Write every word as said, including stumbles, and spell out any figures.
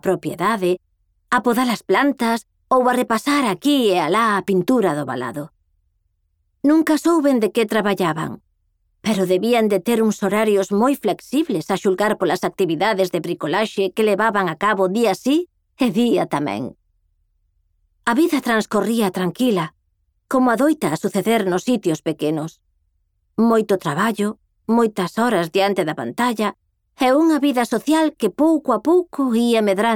propiedade, a podar as plantas ou a repasar aquí e alá a pintura do valado. Nunca souben de que traballaban, pero debían de ter uns horarios moi flexibles a xulgar polas actividades de bricolaxe que levaban a cabo día sí e día tamén. A vida transcorría tranquila, como adoita a suceder nos sitios pequenos. Moito traballo, moitas horas diante da pantalla e unha vida social que pouco a pouco ia medrando